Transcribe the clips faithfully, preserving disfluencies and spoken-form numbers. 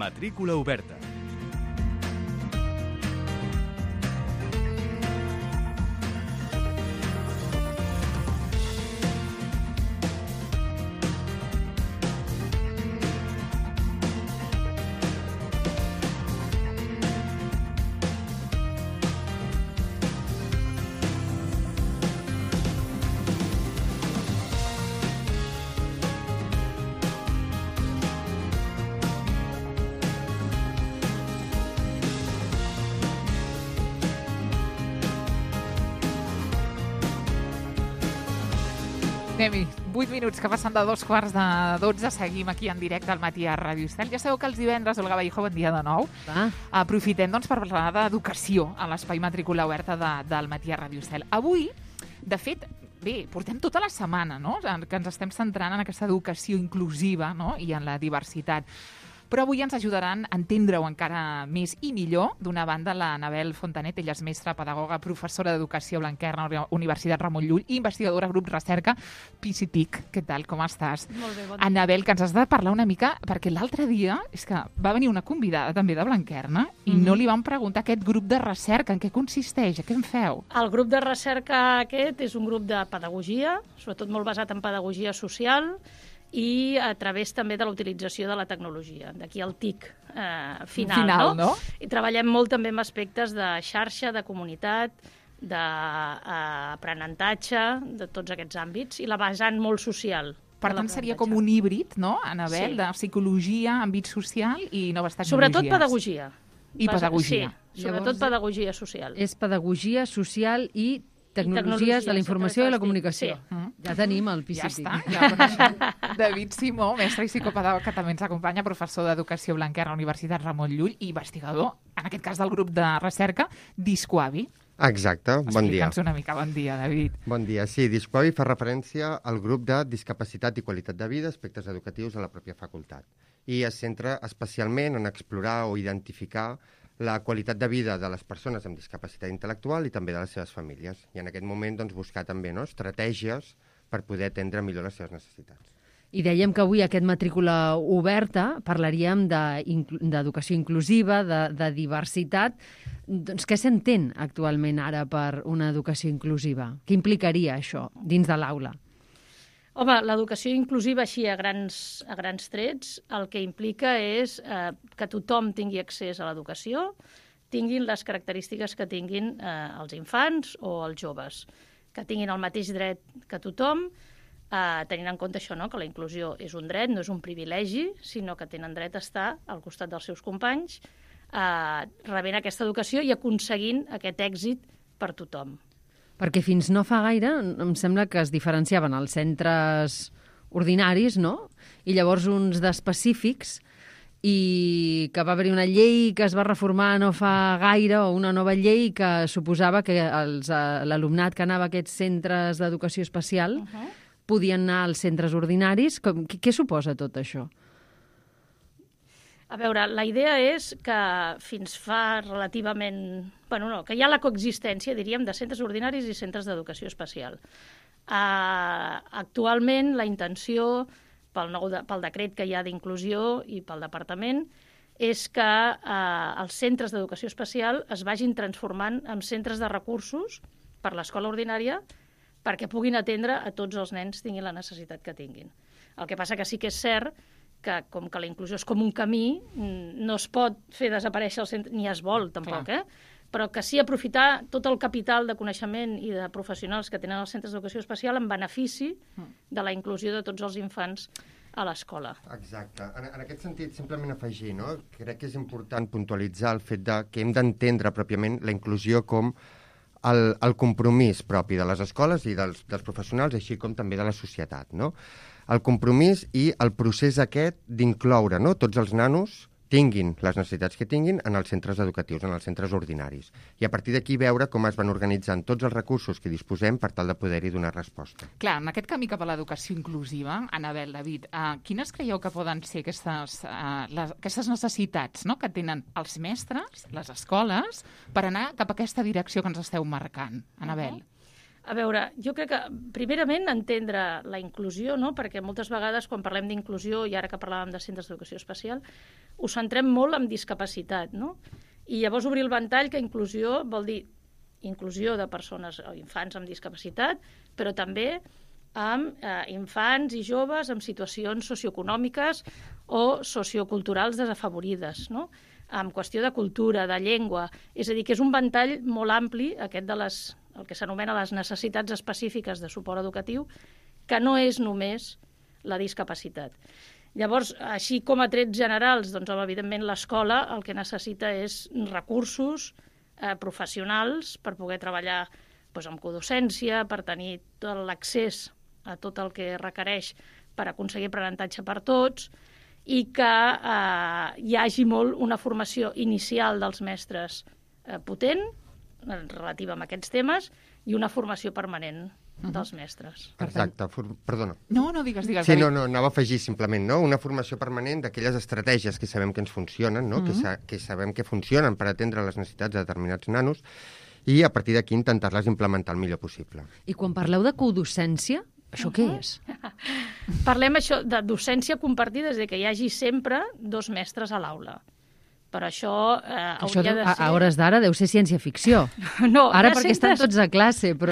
Matrícula oberta. Anem-hi. vuit minuts que passen de dos quarts de dotze. Seguim aquí en directe al matí a Ràdio Estel. Ja sabeu que els divendres, Olga Vallejo, bon dia de nou. Va. Aprofitem doncs, per parlar d'educació a l'espai Matrícula oberta de, del matí a Ràdio Estel. Avui, de fet, bé, portem tota la setmana, no?, que ens estem centrant en aquesta educació inclusiva, no?, i en la diversitat. Però avui ens ajudaran a entendre-ho encara més i millor. D'una banda, la Anabel Fontanet, ella és mestra, pedagoga, professora d'Educació Blanquerna, Universitat Ramon Llull, i investigadora grup Recerca P C T I C. Què tal, com estàs? Molt bé, bon dia. Anabel, que ens has de parlar una mica, perquè l'altre dia és que va venir una convidada també de Blanquerna i Mhm. no li vam preguntar aquest grup de recerca, en què consisteix, què en feu? El grup de recerca aquest és un grup de pedagogia, sobretot molt basat en pedagogia social, i a través també de la utilització de la tecnologia. D'aquí el T I C eh, final, Final, no? I treballem molt també amb aspectes de xarxa, de comunitat, d'aprenentatge, de tots aquests àmbits, i la vessant molt social. Per tant, seria com un híbrid, no, Anabel, Sí. de psicologia, àmbit social i noves tecnologies. Sobretot pedagogia. I Basa- pedagogia. Sí, sobretot Llavors, pedagogia social. És pedagogia social i tecnologies, tecnologies, de la informació i la sí. comunicació. Sí. Mm. Ja tenim el P C Ja T. està, ja el coneixem. David Simó, mestre i psicopedagog, que també ens acompanya, professor d'Educació Blanquerna, Universitat Ramon Llull, i investigador, en aquest cas del grup de recerca, Discoavi. Exacte, bon dia. Explica'ns una mica. Bon dia, David. Bon dia. Sí, Discoavi fa referència al grup de discapacitat i qualitat de vida, aspectes educatius a la pròpia facultat. I es centra especialment en explorar o identificar la qualitat de vida de les persones amb discapacitat intel·lectual i també de les seves famílies. I en aquest moment doncs, buscar també no, estratègies per poder atendre millor les seves necessitats. I dèiem que avui aquest matrícula oberta parlaríem de inclu- d'educació inclusiva, de, de diversitat. Doncs què s'entén actualment ara per una educació inclusiva? Què implicaria això dins de l'aula? Home, l'educació inclusiva així a grans, a grans trets el que implica és eh, que tothom tingui accés a l'educació, tinguin les característiques que tinguin eh, els infants o els joves, que tinguin el mateix dret que tothom, eh, tenint en compte això, no? Que la inclusió és un dret, no és un privilegi, sinó que tenen dret a estar al costat dels seus companys, eh, rebent aquesta educació i aconseguint aquest èxit per tothom. Perquè fins no fa gaire em sembla que es diferenciaven els centres ordinaris, no?, i llavors uns d'específics, i que va haver-hi una llei que es va reformar no fa gaire, o una nova llei que suposava que els, eh, l'alumnat que anava a aquests centres d'educació especial uh -huh. podien anar als centres ordinaris. Com, què, què suposa tot això? A veure, la idea és que fins fa relativament... Bueno, no, que hi ha la coexistència, diríem, de centres ordinaris i centres d'educació especial. Uh, actualment, la intenció, pel, nou de, pel decret que hi ha d'inclusió i pel departament, és que uh, els centres d'educació especial es vagin transformant en centres de recursos per l'escola ordinària perquè puguin atendre a tots els nens tinguin la necessitat que tinguin. El que passa que sí que és cert que com que la inclusió és com un camí, no es pot fer desaparèixer el centre, ni es vol tampoc, Clar. eh? Però que sí aprofitar tot el capital de coneixement i de professionals que tenen els centres d'educació especial en benefici de la inclusió de tots els infants a l'escola. Exacte. En, en aquest sentit, simplement afegir, no? Crec que és important puntualitzar el fet de que hem d'entendre pròpiament la inclusió com el, el compromís propi de les escoles i dels, dels professionals, així com també de la societat, no? El compromís i el procés aquest d'incloure, no?, tots els nanos tinguin les necessitats que tinguin en els centres educatius, en els centres ordinaris. I a partir d'aquí veure com es van organitzant tots els recursos que disposem per tal de poder-hi donar resposta. Clar, en aquest camí cap a l'educació inclusiva, Anabel, David, uh, quines creieu que poden ser aquestes, uh, les, aquestes necessitats, no?, que tenen els mestres, les escoles, per anar cap a aquesta direcció que ens esteu marcant, Anabel? Uh -huh. A veure, jo crec que, primerament, entendre la inclusió, no? Perquè moltes vegades, quan parlem d'inclusió, i ara que parlàvem de centres d'educació especial, ho centrem molt en discapacitat, no? I llavors obrir el ventall, que inclusió vol dir inclusió de persones o infants amb discapacitat, però també amb eh, infants i joves amb situacions socioeconòmiques o socioculturals desafavorides, no? Amb qüestió de cultura, de llengua. És a dir, que és un ventall molt ampli, aquest de les, el que s'anomena les necessitats específiques de suport educatiu, que no és només la discapacitat. Llavors, així com a trets generals, doncs, evidentment, l'escola el que necessita és recursos eh, professionals per poder treballar doncs, amb codocència, per tenir tot l'accés a tot el que requereix per aconseguir aprenentatge per tots, i que eh, hi hagi molt una formació inicial dels mestres eh, potent, relativa a aquests temes, i una formació permanent uh-huh. dels mestres. Exacte, For perdona. No, no, digues, digues. Sí, no, no, anava a afegir simplement, no? Una formació permanent d'aquelles estratègies que sabem que ens funcionen, no? Uh-huh. que, sa que sabem que funcionen per atendre les necessitats de determinats nanos, i a partir d'aquí intentar-les implementar el millor possible. I quan parleu de codocència, això uh-huh. què és? Parlem això de docència compartida, és a dir, que hi hagi sempre dos mestres a l'aula. Però això eh, això hauria de ser... A hores d'ara deu ser ciència-ficció. No, ara perquè centres... estan tots a classe, però...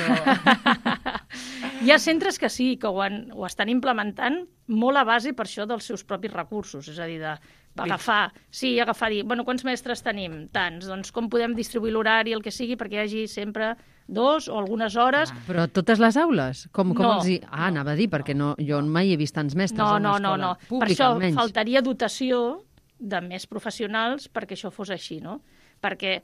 Hi ha centres que sí, que ho, han, ho estan implementant molt a base per això dels seus propis recursos, és a dir, de agafar, sí, agafar, dir, bueno, quants mestres tenim? Tants, doncs com podem distribuir l'horari, el que sigui, perquè hi hagi sempre dos o algunes hores... Ah, però totes les aules? Com, com no, els hi... Ah, no. Anava a dir, perquè no, jo mai he vist tants mestres no, a una no, escola no, no. pública, per això almenys. Faltaria dotació de més professionals perquè això fos així, no? Perquè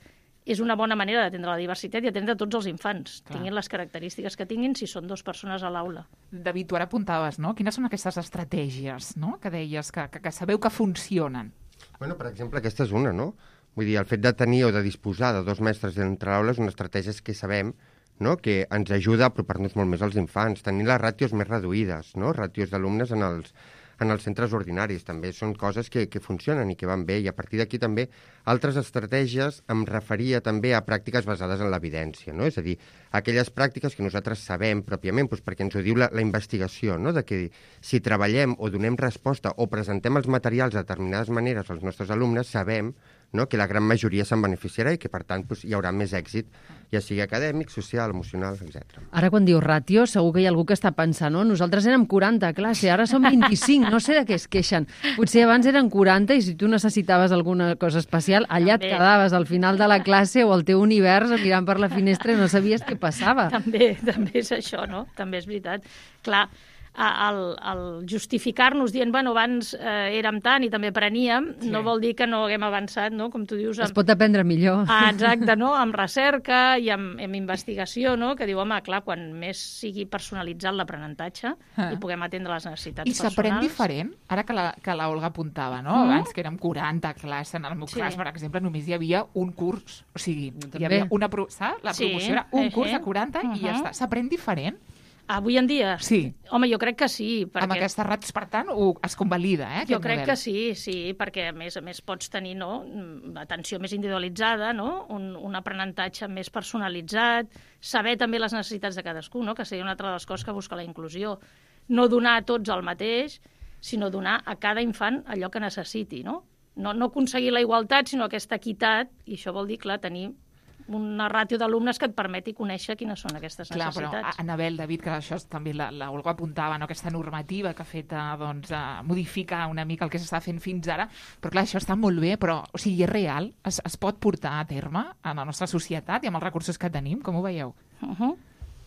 és una bona manera d'atendre la diversitat i atendre tots els infants, Clar. tinguin les característiques que tinguin si són dues persones a l'aula. David, tu ara apuntaves, no? Quines són aquestes estratègies, no?, que deies, que, que, que sabeu que funcionen? Bueno, per exemple, aquesta és una, no? Vull dir, el fet de tenir o de disposar de dos mestres entre l'aula és una estratègia que sabem, no?, que ens ajuda a apropar-nos molt més als infants, tenir les ràtios més reduïdes, no?, ràtios d'alumnes en els, en els centres ordinaris. També són coses que, que funcionen i que van bé, i a partir d'aquí també altres estratègies em referia també a pràctiques basades en l'evidència, no? És a dir, aquelles pràctiques que nosaltres sabem pròpiament, doncs perquè ens ho diu la, la investigació, no?, de que si treballem o donem resposta o presentem els materials de determinades maneres als nostres alumnes, sabem, no?, que la gran majoria se'n beneficiarà i que, per tant, doncs, hi haurà més èxit, ja sigui acadèmic, social, emocional, etcètera. Ara, quan dius ràtio, segur que hi ha algú que està pensant, no? Nosaltres érem quaranta a classe, ara som vint-i-cinc, no sé de què es queixen. Potser abans eren quaranta i si tu necessitaves alguna cosa especial, allà et quedaves al final de la classe o al teu univers mirant per la finestra i no sabies què passava. També, també és això, no? També és veritat. Clar, el, el justificar-nos dient, bueno, abans eh, érem tant i també apreníem, sí. no vol dir que no haguem avançat, no?, com tu dius. Amb... Es pot aprendre millor. Ah, exacte, no?, amb recerca i amb, amb investigació, no?, que diu, home, clar, quan més sigui personalitzat l'aprenentatge ah. i puguem atendre les necessitats I personals... I s'aprèn diferent? Ara que la, que la Olga apuntava, no?, mm. abans que érem quaranta a classe, en el meu sí. cas, per exemple, només hi havia un curs, o sigui, hi havia una... Pro... Saps? La promoció sí. era un curs de quaranta uh -huh. i ja està. S'aprèn diferent? Avui en dia? Sí. Home, jo crec que sí. Perquè... Amb aquestes ràtios, per tant, ho, es convalida, eh, Jo crec model. que sí, sí, perquè a més a més pots tenir, no?, atenció més individualitzada, no?, un, un aprenentatge més personalitzat, saber també les necessitats de cadascú, no?, que seria una altra de les coses que busca la inclusió. No donar a tots el mateix, sinó donar a cada infant allò que necessiti, no? No, no aconseguir la igualtat, sinó aquesta equitat, i això vol dir, clar, tenir una ràtio d'alumnes que et permeti conèixer quines són aquestes Clar, necessitats. Però, Anabel, David, que això també la, la Olga apuntava, no?, aquesta normativa que ha fet a, doncs, a modificar una mica el que s'està fent fins ara, però clar, això està molt bé, però o sigui, és real? Es, es pot portar a terme en la nostra societat i amb els recursos que tenim? Com ho veieu? Uh -huh.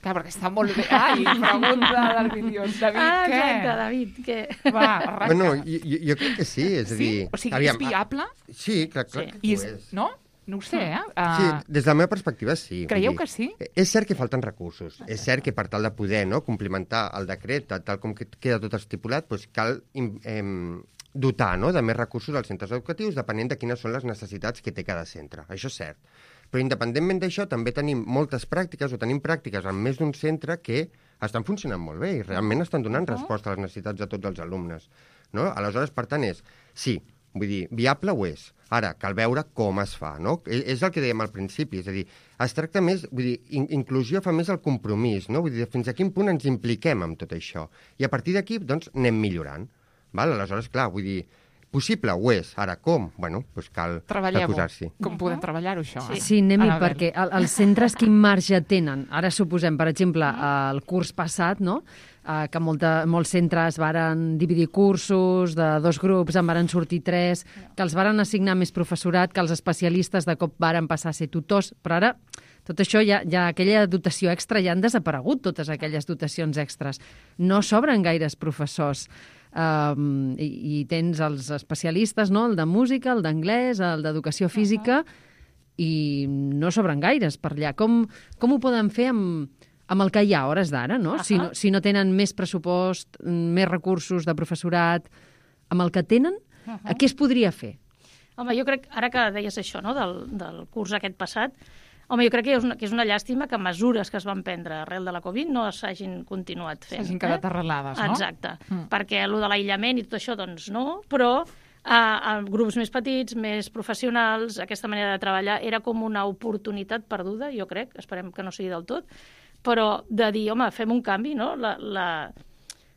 Clar, perquè està molt bé. Ai, pregunta del milions. David, ah, què? exacte, David, què? Va, arranca. Bueno, jo, jo crec que sí, és a sí? dir... O sigui, aviam, és viable? Sí, clar, clar Sí. que I ho és, és. no? No ho sé, eh? Uh... Sí, des de la meva perspectiva, sí. Creieu dir, que sí? És cert que falten recursos. És cert que per tal de poder, no, complementar el decret, tal com queda tot estipulat, doncs cal eh, dotar, no?, de més recursos als centres educatius, depenent de quines són les necessitats que té cada centre. Això és cert. Però independentment d'això, també tenim moltes pràctiques, o tenim pràctiques en més d'un centre que estan funcionant molt bé i realment estan donant resposta a les necessitats de tots els alumnes. No? Aleshores, per tant, és, sí, Vull dir, viable ho és. Ara, cal veure com es fa, no? És el que dèiem al principi, és a dir, es tracta més, vull dir, in inclusió fa més el compromís, no? Vull dir, fins a quin punt ens impliquem amb tot això. I a partir d'aquí, doncs, anem millorant. Val? Aleshores, clar, vull dir, possible ho és. Ara, com? Bueno, doncs cal, cal posar-s'hi. Com podem treballar-ho, això? Sí, sí anem-hi, perquè el, els centres quin marge tenen? Ara suposem, per exemple, el curs passat, no?, Uh, que molta, molts centres varen dividir cursos de dos grups, en varen sortir tres, que els varen assignar més professorat, que els especialistes de cop varen passar a ser tutors, però ara tot això, ja, ja aquella dotació extra, ja han desaparegut totes aquelles dotacions extres. No s'obren gaires professors. Um, i, i tens els especialistes, no?, el de música, el d'anglès, el d'educació física, i no s'obren gaires per allà. Com, com ho poden fer amb... amb el que hi ha a hores d'ara, no? Uh -huh. si no? Si no tenen més pressupost, més recursos de professorat, amb el que tenen, uh -huh. què es podria fer? Home, jo crec, ara que deies això, no?, del, del curs aquest passat, home, jo crec que és una, que és una llàstima que mesures que es van prendre arrel de la Covid no s'hagin continuat fent. S'hagin quedat eh? arrelades, no? Exacte, mm. perquè allò de l'aïllament i tot això, doncs no, però a, a grups més petits, més professionals, aquesta manera de treballar era com una oportunitat perduda, jo crec, esperem que no sigui del tot, però de dir, home, fem un canvi, no? La, la,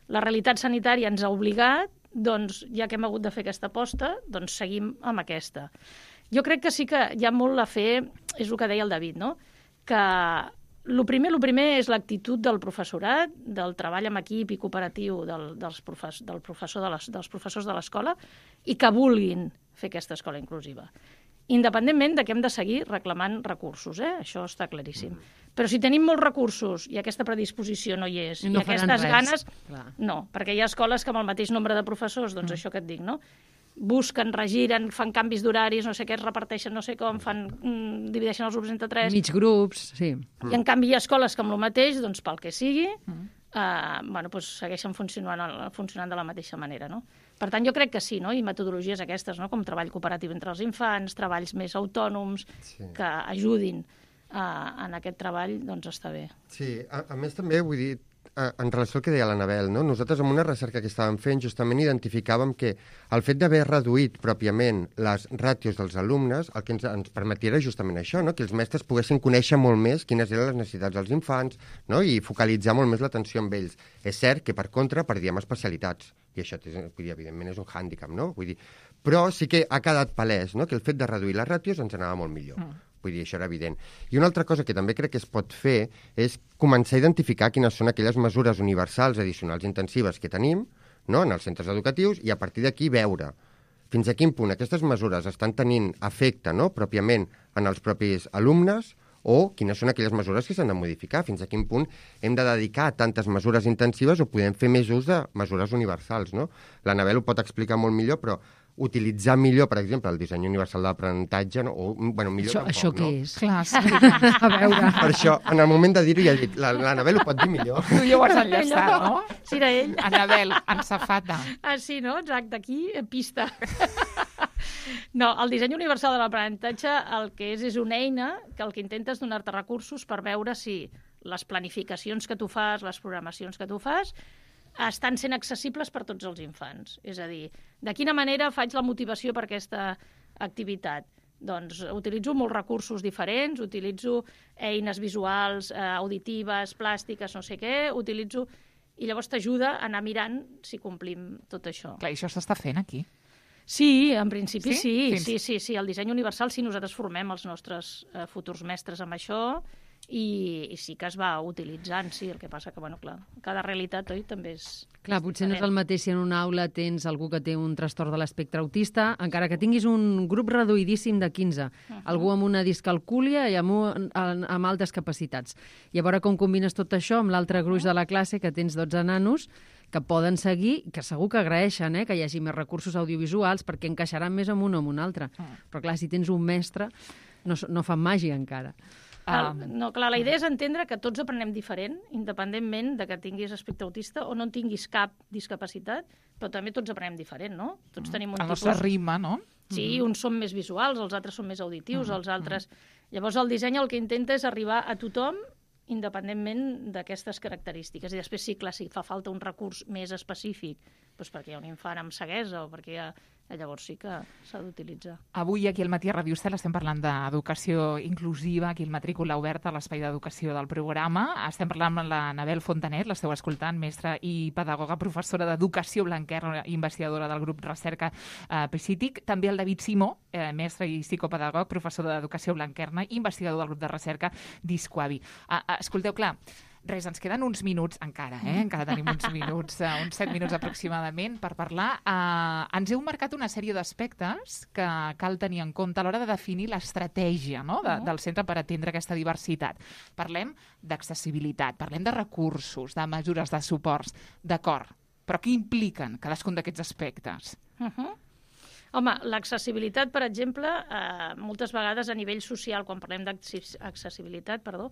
la realitat sanitària ens ha obligat, doncs, ja que hem hagut de fer aquesta aposta, doncs seguim amb aquesta. Jo crec que sí que hi ha molt a fer, és el que deia el David, no?, que el primer, el primer és l'actitud del professorat, del treball en equip i cooperatiu del, dels, profes, del professor de les, dels professors de l'escola, i que vulguin fer aquesta escola inclusiva. Independentment de que hem de seguir reclamant recursos, eh? Això està claríssim. Però si tenim molts recursos i aquesta predisposició no hi és, i, no i aquestes res. ganes... Clar. No, perquè hi ha escoles que amb el mateix nombre de professors, doncs mm. això que et dic, no?, busquen, regiren, fan canvis d'horaris, no sé què, es reparteixen no sé com, fan, mm, divideixen els grups entre tres... Mig grups, sí. I en canvi hi ha escoles que amb el mateix, doncs pel que sigui, mm. eh, bueno, doncs segueixen funcionant, funcionant de la mateixa manera, no? Per tant, jo crec que sí, no?, i metodologies aquestes, no?, com treball cooperatiu entre els infants, treballs més autònoms, sí. que ajudin a, en aquest treball, doncs està bé. Sí, a, a més també, vull dir, en relació al que deia l'Anabel, no? Nosaltres amb una recerca que estàvem fent justament identificàvem que el fet d'haver reduït pròpiament les ràtios dels alumnes el que ens, ens permetia era justament això, no? Que els mestres poguessin conèixer molt més quines eren les necessitats dels infants, no? I focalitzar molt més l'atenció amb ells. És cert que per contra perdíem especialitats i això vull dir, evidentment és un hàndicap, no? Vull dir, però sí que ha quedat palès, no?, que el fet de reduir les ràtios ens anava molt millor. Mm. Vull dir, això era evident. I una altra cosa que també crec que es pot fer és començar a identificar quines són aquelles mesures universals, addicionals, intensives que tenim, no?, en els centres educatius, i a partir d'aquí veure fins a quin punt aquestes mesures estan tenint efecte, no?, pròpiament en els propis alumnes, o quines són aquelles mesures que s'han de modificar, fins a quin punt hem de dedicar a tantes mesures intensives o podem fer més ús de mesures universals, no? L'Anabel ho pot explicar molt millor, però utilitzar millor, per exemple, el disseny universal d'aprenentatge, no? O, bueno, millor això, tampoc, això no? què és? Clar, sí. A veure. Per això, en el moment de dir-ho, ja he dit, l'Anabel ho pot dir millor. Tu ja ho has enllaçat, no? Sí, era ell. Anabel, en safata. Ah, sí, no? Exacte, aquí, pista. No, el disseny universal de l'aprenentatge el que és és una eina que el que intenta és donar-te recursos per veure si les planificacions que tu fas, les programacions que tu fas, estan sent accessibles per tots els infants. És a dir, de quina manera faig la motivació per aquesta activitat? Doncs utilitzo molts recursos diferents, utilitzo eines visuals, eh, auditives, plàstiques, no sé què, utilitzo... I llavors t'ajuda a anar mirant si complim tot això. Clar, i això s'està fent aquí. Sí, en principi sí, sí, sí, sí, sí. El disseny universal, sí, nosaltres formem els nostres eh, futurs mestres amb això i, i sí que es va utilitzant, sí, el que passa que, bueno, clar, cada realitat, oi, també és... Clar, potser no és el mateix si en una aula tens algú que té un trastorn de l'espectre autista, encara que tinguis un grup reduïdíssim de quinze, uh -huh. algú amb una discalcúlia i amb, un, amb altes capacitats. I a veure com combines tot això amb l'altre gruix de la classe, que tens dotze nanos, que poden seguir, que segur que agraeixen eh, que hi hagi més recursos audiovisuals perquè encaixaran més amb un o amb un altre. Uh -huh. Però clar, si tens un mestre, no, no fan màgia encara. Um, no, clar, la idea és entendre que tots aprenem diferent, independentment de que tinguis espectre autista o no en tinguis cap discapacitat, però també tots aprenem diferent, no? Tots tenim un el tipus... El nostre ritme, no? Sí, uns són més visuals, els altres són més auditius, els altres... Llavors el disseny el que intenta és arribar a tothom independentment d'aquestes característiques. I després sí, clar, si fa falta un recurs més específic doncs perquè hi ha un infant amb ceguesa o perquè hi ha... Llavors sí que s'ha d'utilitzar. Avui aquí al Matí a Ràdio Estel estem parlant d'educació inclusiva, aquí el matrícula oberta a l'espai d'educació del programa. Estem parlant amb la Anabel Fontanet, l'esteu escoltant, mestra i pedagoga, professora d'Educació Blanquerna, investigadora del grup Recerca eh, Psític. També el David Simó, eh, mestre i psicopedagog, professor d'Educació Blanquerna, investigador del grup de recerca d'Isquavi. Eh, escolteu, clar, res, ens queden uns minuts encara, eh? Encara tenim uns minuts, uh, uns set minuts aproximadament per parlar. Uh, ens heu marcat una sèrie d'aspectes que cal tenir en compte a l'hora de definir l'estratègia, no?, de, del centre per atendre aquesta diversitat. Parlem d'accessibilitat, parlem de recursos, de mesures de suports, d'acord, però què impliquen cadascun d'aquests aspectes? Uh -huh. Home, l'accessibilitat, per exemple, eh, moltes vegades a nivell social, quan parlem d'accessibilitat, perdó,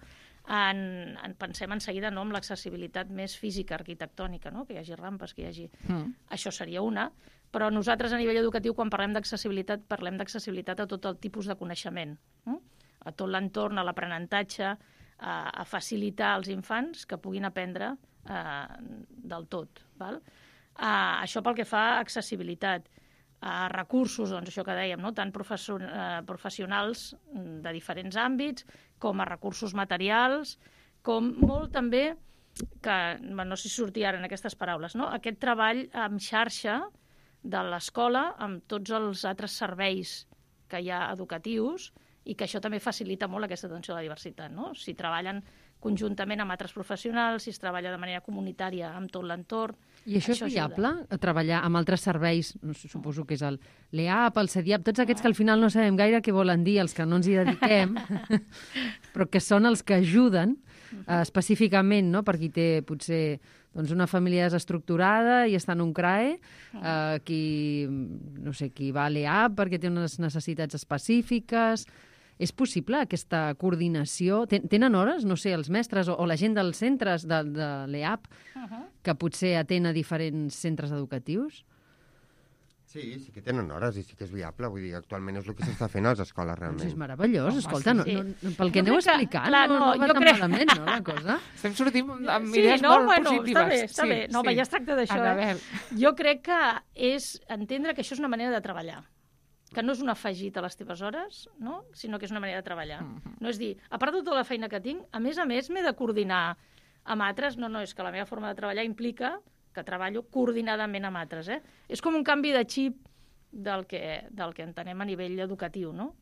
en, en pensem en seguida no, amb l'accessibilitat més física, arquitectònica, no? Que hi hagi rampes, que hi hagi... Mm. Això seria una, però nosaltres a nivell educatiu, quan parlem d'accessibilitat, parlem d'accessibilitat a tot el tipus de coneixement, eh? A tot l'entorn, a l'aprenentatge, a, a facilitar als infants que puguin aprendre eh, del tot. Val? Uh, això pel que fa a accessibilitat. A recursos, doncs això que dèiem, no? Tant professor, eh, professionals de diferents àmbits, com a recursos materials, com molt també, que no sé si sortia ara en aquestes paraules, no? Aquest treball en xarxa de l'escola amb tots els altres serveis que hi ha educatius i que això també facilita molt aquesta atenció a la diversitat, no? Si treballen conjuntament amb altres professionals, si es treballa de manera comunitària amb tot l'entorn. I això, això és viable, ajuda. Treballar amb altres serveis, suposo que és el l'E A P, el CEDIAP, tots aquests que al final no sabem gaire què volen dir, els que no ens hi dediquem, però que són els que ajuden eh, específicament, no?, per qui té potser doncs, una família desestructurada i està en un C R A E, eh, qui, no sé, qui va a l'E A P perquè té unes necessitats específiques. És possible aquesta coordinació? Tenen hores, no sé, els mestres o, o la gent dels centres de, de l'E A P uh -huh. que potser atén a diferents centres educatius? Sí, sí que tenen hores i sí que és viable. Vull dir, actualment és el que s'està fent a les escoles, realment. Doncs és meravellós, escolta, no, sí. no, no, pel que aneu explicant, clar, no, no, no va tan crec... malament, no, la cosa? Estem sortint amb sí, idees no, molt bueno, positives. Està bé, està sí, bé. No, sí. home, ja es tracta d'això. Eh? Jo crec que és entendre que això és una manera de treballar, que no és un afegit a les teves hores, no?, sinó que és una manera de treballar. Uh-huh. No és dir, a part de tota la feina que tinc, a més a més m'he de coordinar amb altres. No, no, és que la meva forma de treballar implica que treballo coordinadament amb altres. Eh? És com un canvi de xip del que, del que entenem a nivell educatiu, no?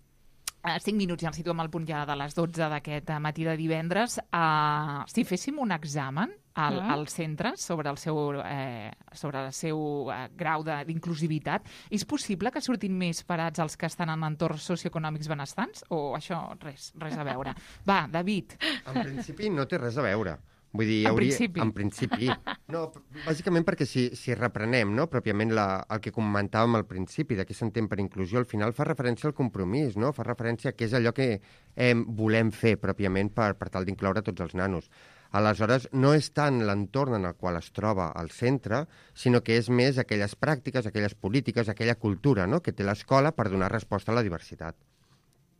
Uh, cinc minuts, ja ens situem al punt ja de les dotze d'aquest uh, matí de divendres. Uh, si féssim un examen al, mm. als centres sobre el seu, eh, sobre el seu eh, grau d'inclusivitat, és possible que surtin més parats els que estan en entorns socioeconòmics benestants? O això res, res a veure? Va, David. En principi no té res a veure. Vull dir, en hauria... principi? En principi. No, bàsicament perquè si, si reprenem, no?, pròpiament la, el que comentàvem al principi, de què s'entén per inclusió, al final fa referència al compromís, no?, fa referència a què és allò que eh, volem fer pròpiament per, per tal d'incloure tots els nanos. Aleshores, no és tant l'entorn en el qual es troba el centre, sinó que és més aquelles pràctiques, aquelles polítiques, aquella cultura, no?, que té l'escola per donar resposta a la diversitat.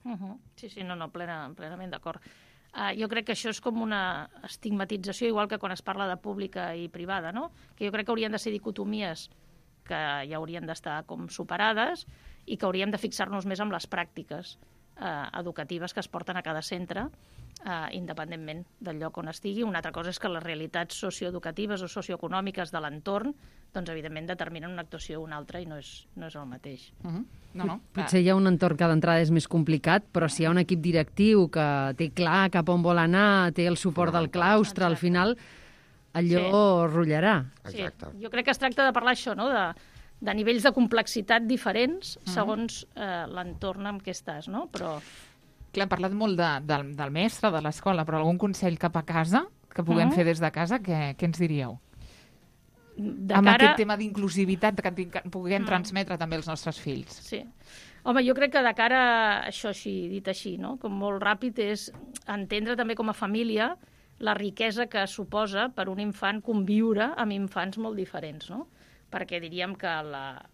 Uh -huh. Sí, sí, no, no, plena, plenament d'acord. Uh, jo crec que això és com una estigmatització, igual que quan es parla de pública i privada, no?, que jo crec que haurien de ser dicotomies que ja haurien d'estar com superades i que hauríem de fixar-nos més en les pràctiques uh, educatives que es porten a cada centre, uh, independentment del lloc on estigui. Una altra cosa és que les realitats socioeducatives o socioeconòmiques de l'entorn, doncs evidentment determinen una actuació o una altra i no és, no és el mateix. Uh -huh. No, no. Potser hi ha un entorn que d'entrada és més complicat, però si hi ha un equip directiu que té clar cap on vol anar, té el suport del claustre, al final allò sí. rotllarà. Sí. Jo crec que es tracta de parlar això, no?, de, de nivells de complexitat diferents segons eh, l'entorn en què estàs, no? Però... Clar, hem parlat molt de, del, del mestre, de l'escola, però algun consell cap a casa que puguem uh -huh. fer des de casa, què, què ens diríeu? De amb cara... aquest tema d'inclusivitat que puguem mm. transmetre també als nostres fills. Sí. Home, jo crec que de cara a això així, dit així, no?, com molt ràpid, és entendre també com a família la riquesa que suposa per un infant conviure amb infants molt diferents, no? Perquè diríem que la,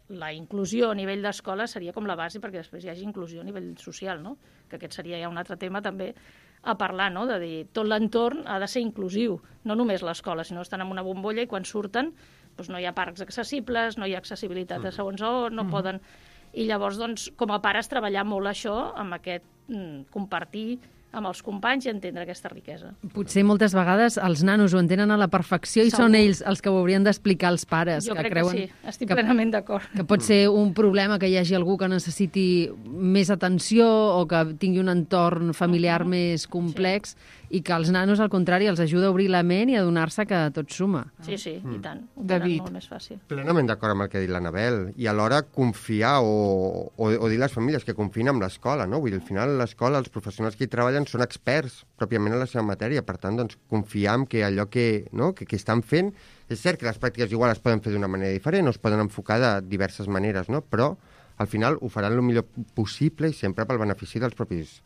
la inclusió a nivell d'escola seria com la base perquè després hi hagi inclusió a nivell social, no?, que aquest seria ja un altre tema també a parlar, no?, de dir, tot l'entorn ha de ser inclusiu, no només l'escola, sinó estan en una bombolla i quan surten doncs no hi ha parcs accessibles, no hi ha accessibilitat a segons on, no mm. poden... I llavors, doncs, com a pares, treballar molt això, amb aquest mm, compartir amb els companys i entendre aquesta riquesa. Potser moltes vegades els nanos ho entenen a la perfecció i Segur. Són ells els que ho haurien d'explicar als pares. Jo que crec creuen que sí, estic que, plenament d'acord. Que pot ser un problema que hi hagi algú que necessiti més atenció o que tingui un entorn familiar uh-huh. més complex sí. i que els nanos, al contrari, els ajuda a obrir la ment i a adonar-se que tot suma. Sí, sí, mm. i tant. Ho David. molt més fàcil. Plenament d'acord amb el que ha dit l'Anabel. I alhora confiar o, o, o dir a les famílies que confien en l'escola, no? Vull dir, al final l'escola, els professionals que hi treballen són experts pròpiament en la seva matèria. Per tant, doncs, confiar en que allò que, no? que, que estan fent... És cert que les pràctiques igual es poden fer d'una manera diferent o es poden enfocar de diverses maneres, no? Però al final ho faran el millor possible i sempre pel benefici dels propis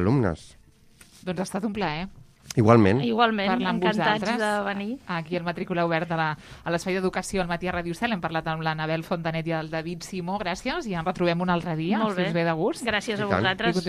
alumnes. Doncs ha estat un plaer. Igualment. Igualment, Parlar amb encantats vosaltres. de venir. Aquí al Matrícula Oberta a la- a l'Espai d'Educació al matí a Ràdio Cel. Hem parlat amb l'Anabel Fontanet i el David Simó. Gràcies i ens retrobem un altre dia, Molt si bé. us ve de gust. Gràcies I a tant. vosaltres. I continuem